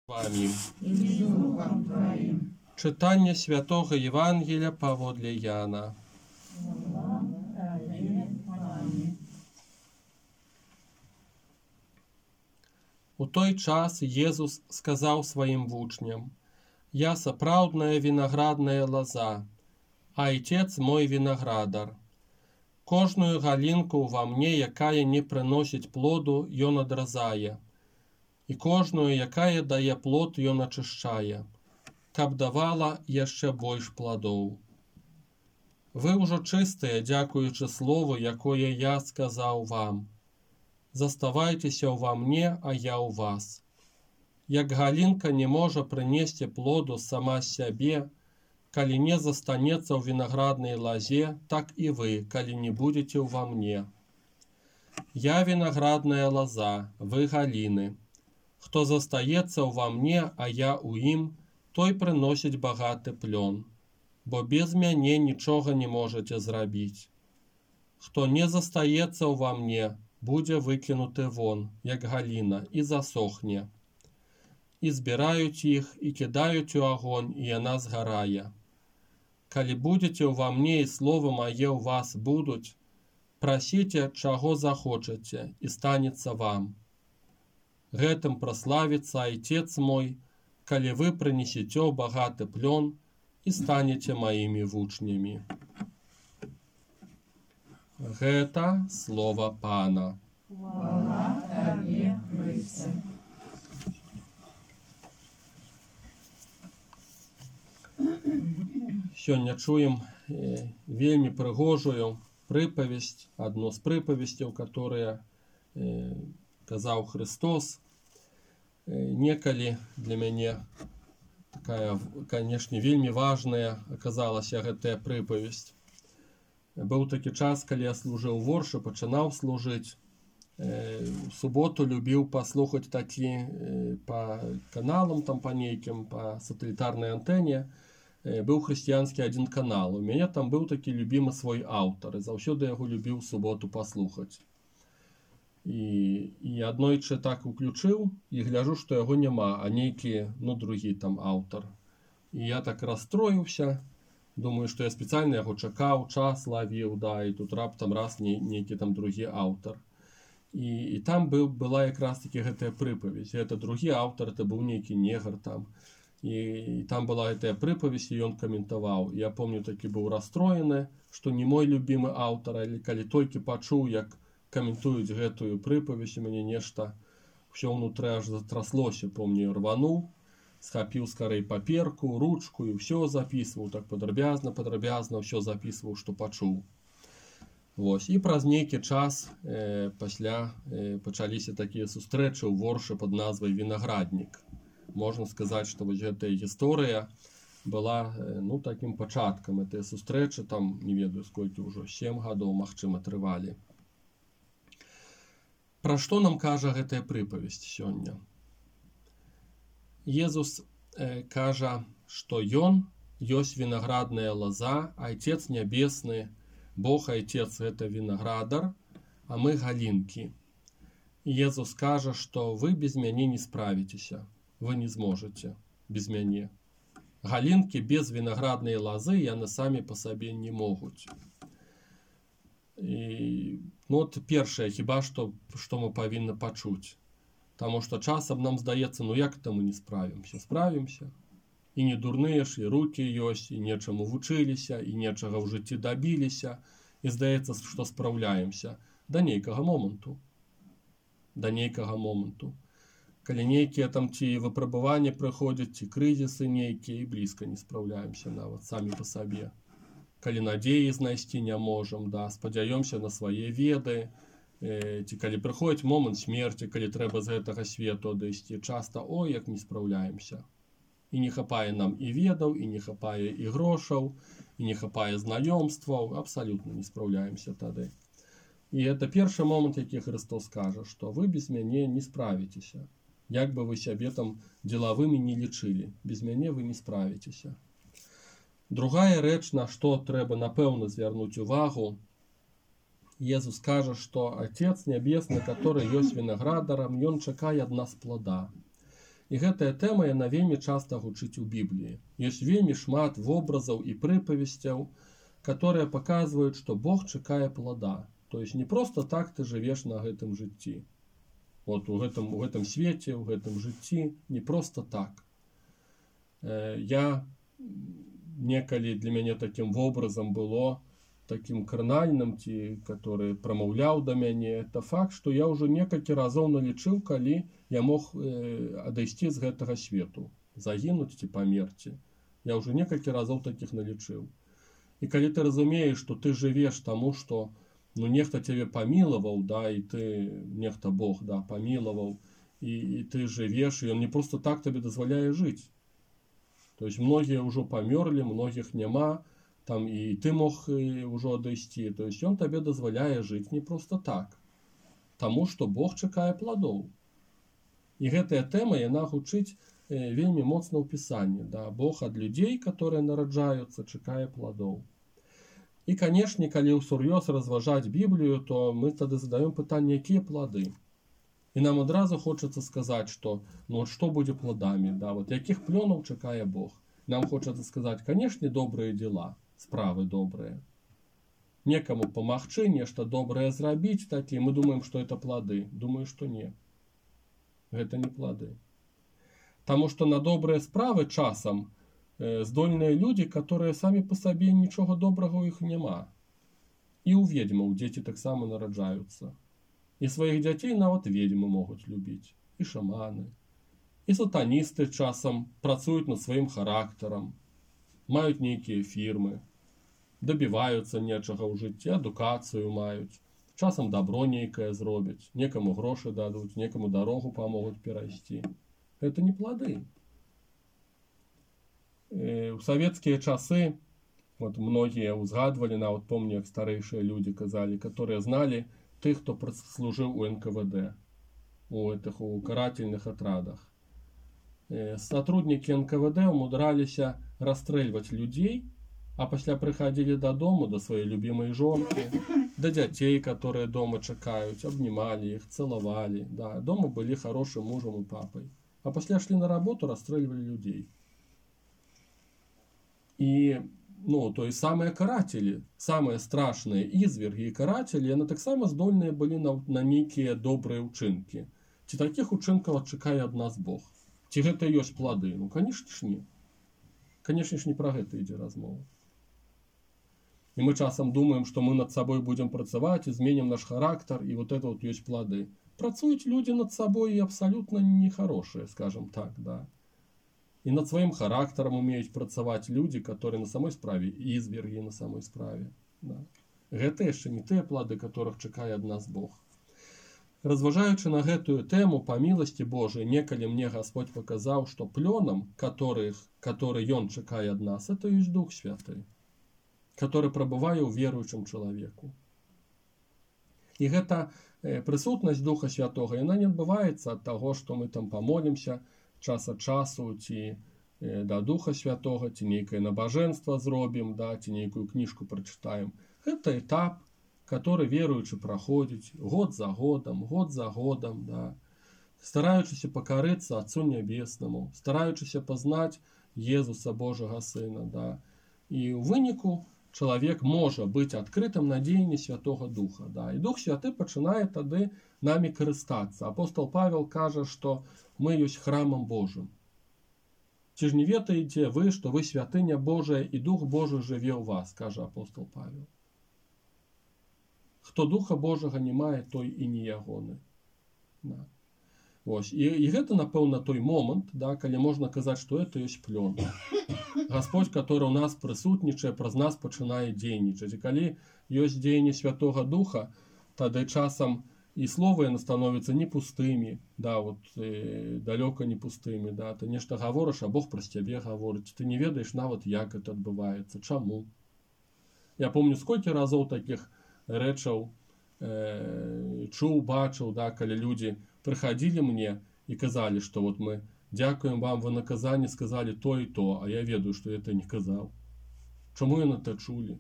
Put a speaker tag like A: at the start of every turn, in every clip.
A: Вами.
B: И с Духом Твоим.
A: Читання Святого Євангелія паводле Яна. У той час Єзус сказав своїм вучням: «Я сапраўдная виноградная лоза, а Отец мой виноградар. Кожную галінку во мне, якая не приносить плоду, ён адразае, і кожную, якая дае плод, ён ачышчае, каб давала яшчэ больш пладоў. Вы ўжо чыстыя, дзякуючы слову, якое я сказаў вам. Заставайцеся ўва мне, а я ў вас. Як галінка не можа прынесці плоду сама сябе, калі не застанецца ў вінаграднай лазе, так і вы, калі не будзеце ўва мне. Я виноградная лоза, вы галіны. Хто застаецца ўва мне, а я ў ім, той прыносіць багаты плён, бо без мяне нічога не можаце зрабіць. Хто не застаецца ўва мне, будзе выкінуты вон, як галіна, і засохне. І збіраюць іх, і кідаюць у агонь, і яна згарае. Калі будзеце ўва мне, і словы мае ў вас будуць, прасіце, чаго захочаце, і станецца вам. Гэтым праславіцца Отец мой, калі вы прынесеце багаты плён і станеце маімі вучнямі». Гэта слова Пана.
B: Хвала Табе, Христе.
A: Сёння чуем вельмі прыгожую прыпавесць, адну з прыпавесцяў, которые казаў Христос. Некалі для мяне такая, канешне, вельмі важная аказалася гэтая прыпавесць. Быў такі час, калі я служыў воршы, пачынаў служыць. У суботу любіў паслухаць такі па каналам, там па нейкім, па сатэлітарнай антэне. Быў хрысціянскі адзін канал. У мяне там быў такі любімы свой аўтар, і заўсёды яго любіў суботу паслухаць. І аднойчы так уключыў, і гляжу, што яго няма, а нейкі, другі там аўтар. І я так расстроіўся, думаю, што я спецыяльна яго чакаў, час лавіў, і тут раптам раз нейкі там другі аўтар. І там была якраз такі гэтая прыпавесць. Гэта другі аўтар, это быў нейкі негр там. І там была гэтая прыпавесць, і ён каментаваў. Я помню, такі быў расстроены, што не мой любімы аўтар, але калі толькі пачуў, як каментуюць гэтую прыпавесць, у мяне нешта ўсё ўнутры аж затраслося. Помню, рвануў, схапіў скарэй паперку, ручку і ўсё запісваў, так падрабязна ўсё запісваў, што пачуў. Вось. І праз нейкі час пасля пачаліся такія сустрэчы ў воршы пад назвай «Вінаграднік». Можна сказаць, што вось гэтая гісторыя была такім пачаткам этой сустрэчы, там не ведаю сколькі ўжо, 7 гадоў, магчыма, трывалі. Пра што нам кажа гэтая прыпавесць сёння? Езус кажа, што ён ёсць вінаградная лоза, а Отец нябесны, Бог Отец — гэта вінаградар, а мы галінкі. Езус кажа, што вы без мяне не справіцеся, вы не зможаце без мяне. Галінкі без вінаграднай лозы яны самі па сабе не могуць. І першае, хіба што мы павінны пачуць. Таму што часам нам здаецца, як это мы не справімся? Справімся. І не дурныя ж, і рукі ёсць, і нечаму вучыліся, і нечага ў жыцці дабіліся, і здаецца, што спраўляемся да нейкага моманту. Калі нейкія там ці выпрабаванні прыходзяць, ці крызісы нейкія, і блізка не спраўляемся нават самі па сабе. Калі надзеі знайсці не можам, спадзяёмся на свае веды, ці калі прыходзіць момант смерці, калі трэба з гэтага свету адысці, часта як не спраўляемся. І не хапае нам і ведаў, і не хапае і грошаў, і не хапае знаёмстваў, абсалютна не спраўляемся тады. І гэта першы момант, які Христос кажа, што вы без мяне не справіцеся. Як бы вы сябе там дзелавымі не лічылі, без мяне вы не справіцеся. Другая рэч, на што трэба напэўна звярнуць увагу, Езус кажа, што Отец Нябесны, который ёсць вінаградарам, ён чакае ад нас плода. І гэтая тэма яна вельмі часта гучыць у Бібліі. Ёсць вельмі шмат вобразаў і прыпавесцяў, которые паказваюць, што Бог чакае плада. То есть не просто так ты жывеш на гэтым жыцці. Вот у гэтым свеце, у гэтым жыцці не просто так. Я некалі для мяне такім вобразам было, таким карнальным, который прамаўляў да мяне, это факт, што я ўжо некалькі разоў налічыў, калі я мог адысці з гэтага свету, загінуць ці памерці. Я ўжо некалькі разоў такіх налічыў. І калі ты разумееш, што ты жывеш таму, што нехта цябе памілаваў, да, і ты, нехта Бог, да, памілаваў, і ты жывеш, і ён не просто так табе дазваляе жыць. То есть многія ўжо памёрлі, многіх няма, там і ты мог ўжо адысці. То есть ён табе дазваляе жыць не просто так, таму што Бог чакае пладоў. І гэтая тэма, яна гучыць вельмі моцна ў Пісанні. Да? Бог ад людзей, которые нараджаюцца, чакае пладоў. І, канешне, калі ўсур'ёз разважаць Біблію, то мы тады задаём пытанне, якія плады. І нам адразу хочацца сказаць, што што будзе пладамі, да? Вот якіх плёнаў чакае Бог. Нам хочацца сказаць, канешне, добрыя дзела, справы добрыя. Некаму памагчы, нешта добрае зрабіць, такі, мы думаем, што это плады. Думаю, што не. Гэта не плады. Таму што на добрыя справы часам здольныя людзі, которые самі па сабе нічога добрага ў іх няма. І ў ведзьмаў дзеці таксама нараджаюцца. І сваіх дзяцей нават ведзьмы могуць любіць. І шаманы. І сатаністы часам працуюць над сваім характарам, маюць нейкія фірмы, дабіваюцца нечага ў жыцці, адукацыю маюць, часам дабро нейкае зробяць, некаму грошы дадуць, некаму дарогу памогуць перайсці. Гэта не плады. У савецкія часы, вот многія узгадвалі, нават помню, як старэйшыя людзі казалі, которые зналі тых, хто служыў у НКВД, у карательных атрадах. Сотрудники НКВД умудраліся расстрэльваць людзей, а пасля прыходили дадому, до своей любимой жонки, до детей, которые дома чакаюць, обнимали их, целовали. Да, дома были хорошим мужем и папой. А пасля шли на работу, расстреливали людей. И, то есть самые каратели, самые страшные изверги и каратели, яны таксама здольныя былі на нейкія добрыя ўчынкі. Ці такіх учынкаў чакае ад нас Бог? Ці гэта ёсць плады? Конечно ж не. Конечно ж не про гэта ідзе размова. И мы часам думаем, что мы над собой будем працаваць, изменим наш характер, и вот это вот есть плоды. Працуют люди над собой и абсолютно нехорошие, скажем так, да. И над своим характером умеют працаваць люди, которые на самой справе изверги на самой справе. Да. Гэта яшчэ не тыя плоды, которых чакае ад нас Бог. Разважаючы на гэтую тэму, па міласці Божай, некалі мне Господь показаў, што плёнам, который Ён чакае ад нас, это ёсць Дух Святы, который прабывае ў веруючым чалавеку. І гэта прысутнасць Духа Святога, яна не адбываецца ад таго, што мы там памолімся час ад часу, ці да Духа Святога, ці нейкае набажэнства зробім, да, ці нейкую кніжку прачытаем. Гэта этап, который веруючы праходзіць год за годам, да, стараючыся пакарыцца Отцу Нябеснаму, стараючыся пазнаць Езуса Божага Сына, да. І ў выніку чалавек можа быць адкрытым на дзеянне Святога Духа, да. І Дух Святы пачынае тады намі карыстацца. Апостол Павел кажа, што мы ёсць храмам Божым. Ці ж не ведаеце вы, што вы святыня Божая, і Дух Божий жыве ў вас, кажа апостол Павел. Хто Духа Божага не мае, той і не ягоны. Да. Ось. І гэта, напэўна, той момант, да, калі можна казаць, што это ёсць плён. Господь, который у нас прысутнічае, праз нас пачынае дзейнічаць. І калі ёсць дзеянне Святога Духа, тады часам і словы яны становяцца не пустымі, да, вот, далёка не пустымі, да, ты нешта гаворыш, а Бог праз цябе гаворыць, ты не ведаеш нават, як это адбываецца, чаму. Я помню, сколькі разоў такіх рэчаў чуў, бачыў, да, калі людзі прыходили мне и казали, что вот мы дякуем вам, вы на Казани сказали то и то, а я ведаю, что это не казал. Чому я на это чули?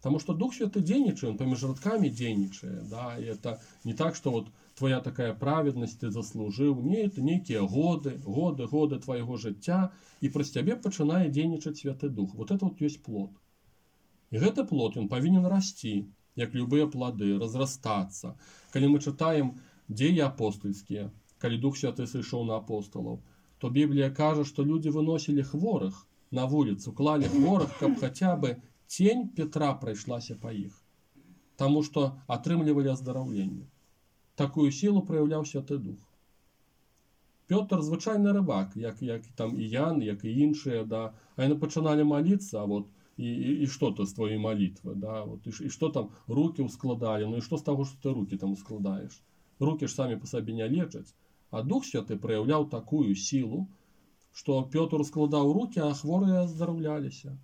A: Потому что Дух Святый денничает, он поміж радками денничает. Да? И это не так, что вот твоя такая праведность ты заслужил. Не, это некие годы твоего життя. И праз цябе пачынае денничать Святы Дух. Вот это вот есть плод. И гэты плод, он повинен расти, як любые плоды, разрастаться. Калі мы читаем Деи апостольские, калі Дух Святы сышоў на апостолов, то Библия кажа, что люди выносили хворых на улицу, клали хворых, каб хотя бы тень Петра пройшлася по іх. Тому что атрымлівалі аздараўленне. Такую силу проявляў Святы Дух. Петр звычайны рыбак, як там і Ян, як і іншыя, да. А яны пачыналі молиться, а вот и что-то с твоей молитвы, да, вот, и что там руки ускладали, ну и что с того, что ты руки там ускладаешь? Руки ж сами по себе не лечаць. А Дух Святы проявлял такую силу, что Петр складаў руки, а хворые аздараўляліся.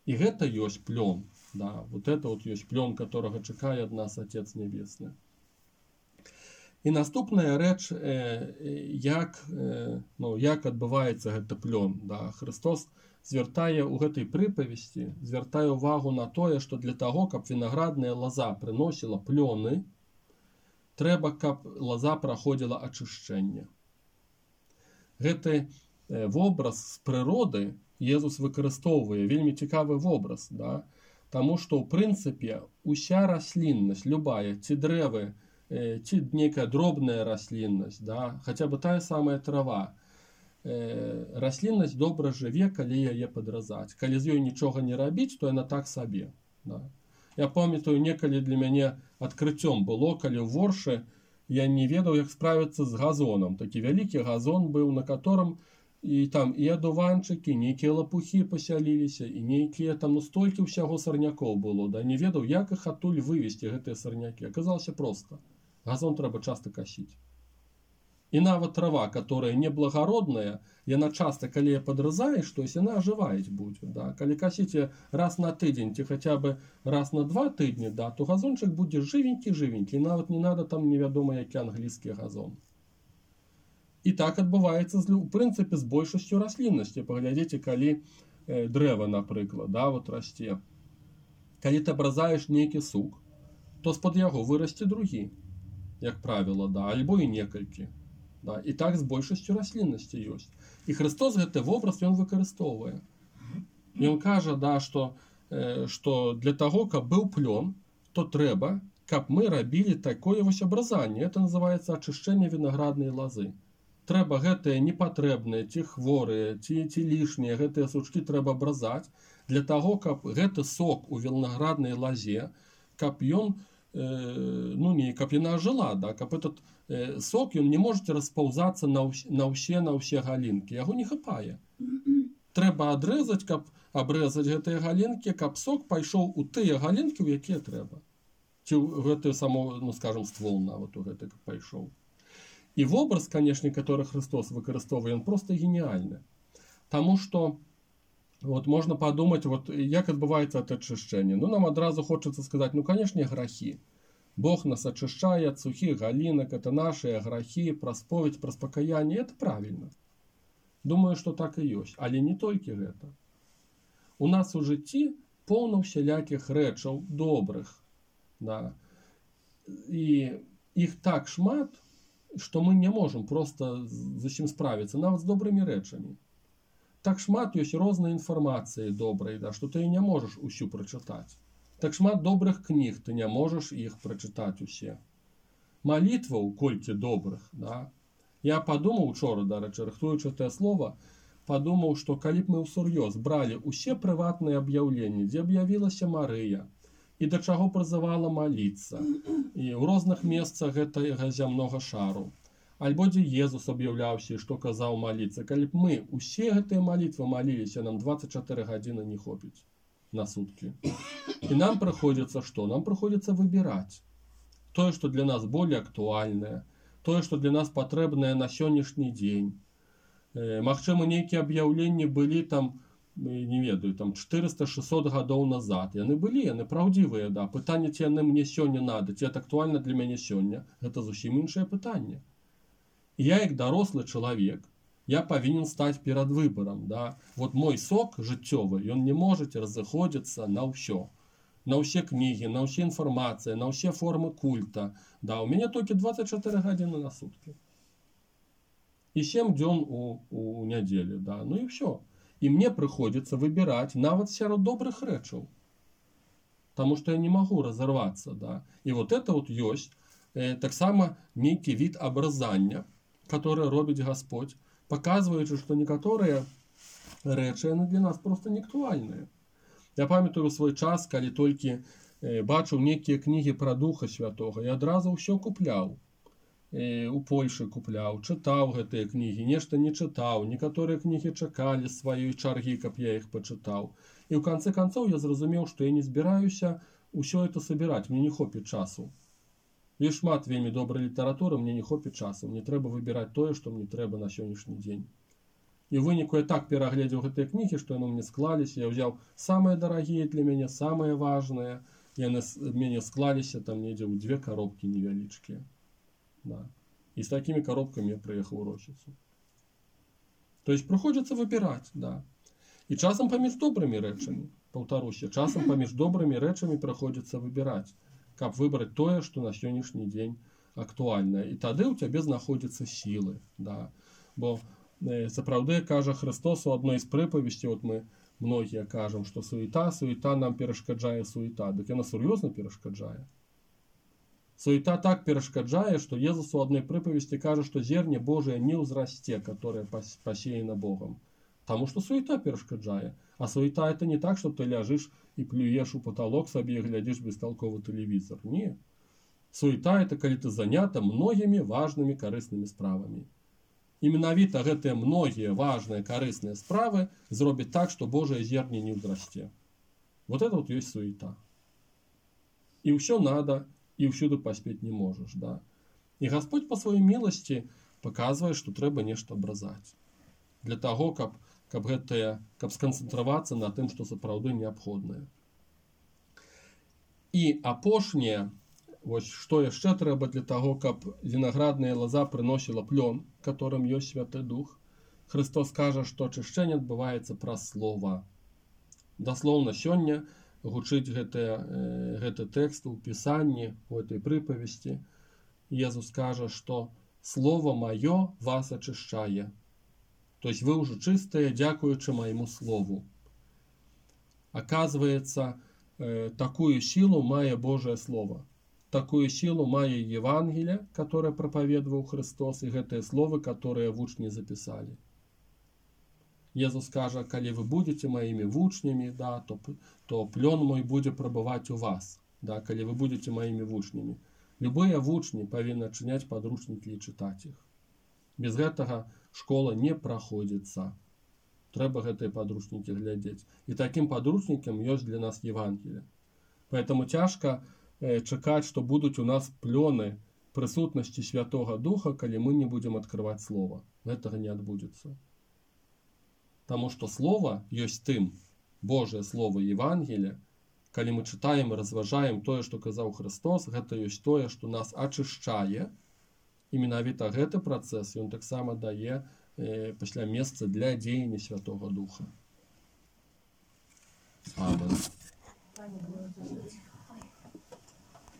A: И это есть плен, да, вот это вот есть плен, которого чакае от нас Отец Небесный. И наступная рэч, як адбываецца гэты плен, да, Христос звяртае ў гэтай прыпавесці, звяртае ўвагу на тое, што для таго, каб вінаградная лаза прыносіла плёны, трэба, каб лаза праходзіла ачышчэнне. Гэты вобраз з прыроды Езус выкарыстоўвае, вельмі цікавы вобраз, да? Таму што, ў прынцыпе, уся расліннасць, любая, ці дрэвы, ці нейкая дробная расліннасць, да? Хаця бы тая самая трава, расліннасць добра жыве, калі яе падразаць. Калі з ёй нічога не рабіць, то яна так сабе. Да. Я памятаю, некалі для мяне адкрыццём было, калі ў Воршы я не ведаў, як справіцца з газонам. Такі вялікі газон быў, на котором і там і адуванчыкі, нейкія лапухі пасяліліся, і нейкія там, ну, столькі ўсяго сарнякоў было. Да. Не ведаў, як іх адтуль вывесці, гэтыя сарнякі. Аказалася проста. Газон трэба часта касіць. И нават трава, которая неблагородная, яна часто, калі ее подразаешь, то есть она оживать будет. Да? Калі косите раз на тыдзень, ці хотя бы раз на 2 тыдні, да, то газончик будет живенький, нават не надо там невядома які англійскі газон. И так адбываецца, в принципе, с большасцю расліннасці. Паглядзіце, калі дрэва, напрыклад, да, вот расце. Калі ты абразаеш нейкі сук, то з-пад яго вырасце другі, як правило, да, альбо і некалькі. Да, і так з большасцю расліннасці ёсць. І Христос гэты вобраз ён выкарыстоўвае. Ён кажа, да, што для таго, каб быў плён, то трэба, каб мы рабілі такое вось абразанне. Это называецца ачышчэнне вінаграднай лазы. Трэба гэтыя непатрэбныя, ці хворыя, ці лішнія, гэтыя сучкі трэба абразаць для таго, каб гэты сок у вінаграднай лазе, каб ён каб яна жила, да, каб этот сок ён не можа распаўзацца на ўсе галінкі, яго не хапае. Трэба адрэзаць, каб абрэзаць гэтыя галінкі, каб сок пайшоў у тыя галінкі, у якія трэба. Ці ў гэтую саму, ну скажем, ствол нават у гэты пайшоў. І вобраз, канешне, который Христос выкарыстоўвае, он просто гениальны. Таму што вот можно подумать, вот як адбываецца это ачышчэнне. Ну, нам адразу хочется сказать, ну, конечно, грахи. Бог нас очищает от сухих галинок, это наши грахи, про споведь, про спокаяние. Это правильно. Думаю, что так и есть. Але не только это. У нас у житті полно всяляких рэчаў добрых. Да. И их так шмат, что мы не можем просто з усім справиться, нават з добрыми рэчамі. Так шмат ёсць рознай інфармацыі добрай, да, што ты не можаш усю прачытаць. Так шмат добрых кніг, ты не можаш іх прачытаць усе. Малітваў колькі добрых, да. Я падумаў учора, дарэчы, рыхтуючы тое слова, падумаў, што калі б мы ўсур'ёз бралі усе прыватныя аб'яўленні, дзе аб'явілася Марыя, і да чаго прызывала маліцца, і ў розных месцах гэтага зямнога шару, альбо дзе Езус аб'яўляўся, што казаў маліцца. Калі б мы усе гэтыя малітвы маліліся, нам 24 гадзіны не хопіць на суткі. І нам прыходзіцца што? Нам прыходзіцца выбіраць тое, што для нас более актуальнае, тое, што для нас патрэбнае на сённяшні дзень. Магчыма, нейкія аб'яўленні былі там, не ведаю, там 400-600 гадоў назад. Яны былі, яны праўдзівыя, да. Пытанне, ці яны мне сёння надо, ці это актуальна для мяне сёння, гэта зусім іншае пытанне. І я, як дарослы чалавек, я павінен стаць перад выбарам. Да? Вот мой сок жыццёвы, ён не можа разыходзіцца на ўсё. На ўсе кнігі, на ўсе інфармацыі, на ўсе формы культа. Да, у мяне толькі 24 гадзіны на суткі. І 7 дзён у нядзелю. Да? Ну і ўсё. І мне прыходзіцца выбіраць нават сярод добрых рэчаў. Таму што я не магу разарвацца. Да? І вот это вот ёсць таксама нейкі від абразання, который робіць Господь, паказваючы, што некаторыя рэчы яны для нас проста не актуальныя. Я памятаю свой час, калі толькі бачыў нейкія кнігі пра Духа Святога, я адразу ўсё купляў. У Польшы купляў, чытаў гэтыя кнігі, нешта не чытаў, некаторыя кнігі чакалі сваёй чаргі, каб я іх пачытаў. І ў канцы канцоў я зразумеў, што я не збіраюся ўсё это сабіраць, мне не хопіць часу. Ёсць шмат вельмі добрай літаратуры, мне не хопіць часу, мне трэба выбіраць тое, што мне трэба на сённяшні дзень. І ў выніку я так перагледзеў гэтыя кнігі, што яны мне склаліся, я ўзяў самыя дарагія для мяне, самыя важныя, яны мяне склаліся там недзе ў 2 коробкі невялічкія. Да. І з такімі коробкамі я прыехаў у Рощицу. То есть прыходзіцца выбіраць, да. І часам паміж добрымі рэчамі, паўтаруся, часам паміж добрымі рэчамі прыходзіцца выбіраць, каб выбраць тое, што на сённяшні дзень актуальнае. І тады ў цябе знаходзяцца сілы, да. Бо сапраўды кажа Христос у адной з прыпавесцей, вот мы многія кажам, што суета нам перашкаджае суета. Дык яна сур'ёзна перашкаджае. Суета так перашкаджае, што Езус у адной прыпавесці кажа, што зерне Божие не ўзрасце, которое пасеяно Богом. Таму што суета перашкаджае. А суета это не так, што ты ляжыш і плюеш у потолок сабе і глядзіш бесталковы тэлевізор. Не. Суета это калі ты занята многімі важнымі карыснымі справамі. І менавіта гэтыя многія важныя карысныя справы зробяць так, што Божае зерне не ўзрасце. Вот это вот ёсць суета. І ўсё надо, і ўсюды паспець не можаш. Да? І Господь па сваёй міласці паказвае, што трэба нешта абразаць. Для таго, каб сканцэнтравацца на тым, што сапраўды неабходнае. І апошняе, вось што яшчэ трэба для таго, каб вінаградная лаза прыносіла плён, которым ёсць Святы Дух. Христос кажа, што ачышчэнне адбываецца праз слова. Даслоўна сёння гучыць гэты тэкст у Пісанні, у этой прыпавесці. Езус кажа, што «Слово маё вас ачышчае». То есть вы уже чистые, дякуючи моему слову. Оказывается, такую силу мае Божие Слово. Такую силу мае Евангелие, которое проповедовал Христос, и гэтые словы, которые вучни записали. Езус кажа, калі вы будете моими вучнями, да, то плен мой будет пробывать у вас. Да, калі вы будете моими вучнями. Любые вучни павінны адчыняць падручнікі і чытаць іх. Без гэтага школа не праходзіцца. Трэба гэтыя падручнікі глядзець. І такім падручнікам ёсць для нас Евангелие. Поэтому цяжка чакаць, што будуць у нас плёны прысутнасці Святога Духа, калі мы не будзем адкрываць Слова. Гэтага не адбудзецца. Таму што Слова ёсць тым, Божае Слово Евангелие, калі мы чытаем і разважаем тое, што казаў Христос, гэта ёсць тое, што нас ачышчае, і менавіта гэты працэс ён таксама дае пасля месца для дзеяння Святога Духа. Амен.